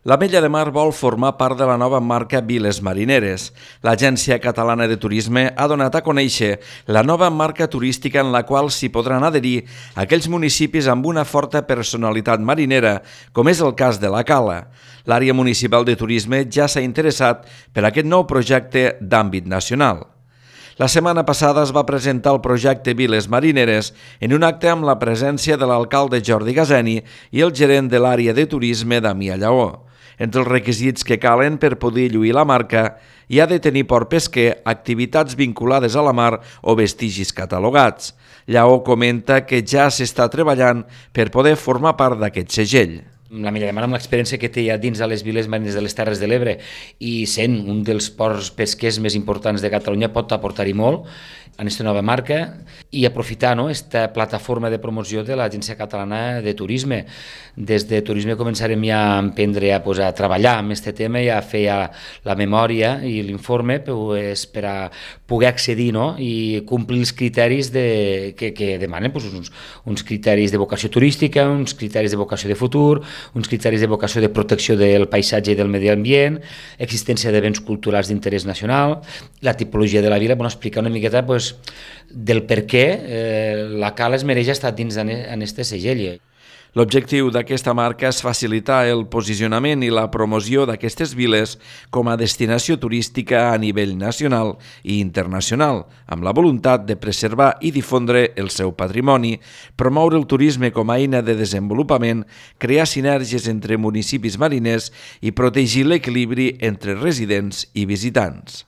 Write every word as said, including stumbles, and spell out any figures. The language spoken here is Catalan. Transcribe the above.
L'Ametlla de Mar vol formar part de la nova marca Viles Marineres. L'Agència Catalana de Turisme ha donat a conèixer la nova marca turística en la qual s'hi podran adherir aquells municipis amb una forta personalitat marinera, com és el cas de la Cala. L'àrea municipal de turisme ja s'ha interessat per aquest nou projecte d'àmbit nacional. La setmana passada es va presentar el projecte Viles Marineres en un acte amb la presència de l'alcalde Jordi Gaseni i el gerent de l'àrea de turisme Damià Lleó. Entre els requisits que calen per poder lluir la marca hi ha de tenir port pesquer, activitats vinculades a la mar o vestigis catalogats. Lleó comenta que ja s'està treballant per poder formar part d'aquest segell. L'Ametlla de Mar, amb l'experiència que té ja dins de les viles marines de les Terres de l'Ebre i sent un dels ports pesquers més importants de Catalunya, pot aportar-hi molt en aquesta nova marca i aprofitar no, aquesta plataforma de promoció de l'Agència Catalana de Turisme. Des de Turisme començarem ja a emprendre a, pues, a treballar amb aquest tema i a fer ja la memòria i l'informe pues, per a poder accedir no, i complir els criteris de, que, que demanen pues, uns, uns criteris de vocació turística, uns criteris de vocació de futur, uns criteris de vocació de protecció del paisatge i del medi ambient, existència de béns culturals d'interès nacional, la tipologia de la vila, bueno, explicar una miqueta pues, del per què eh, la Cala es mereix estar dins en aquest segell. L'objectiu d'aquesta marca és facilitar el posicionament i la promoció d'aquestes viles com a destinació turística a nivell nacional i internacional, amb la voluntat de preservar i difondre el seu patrimoni, promoure el turisme com a eina de desenvolupament, crear sinergies entre municipis mariners i protegir l'equilibri entre residents i visitants.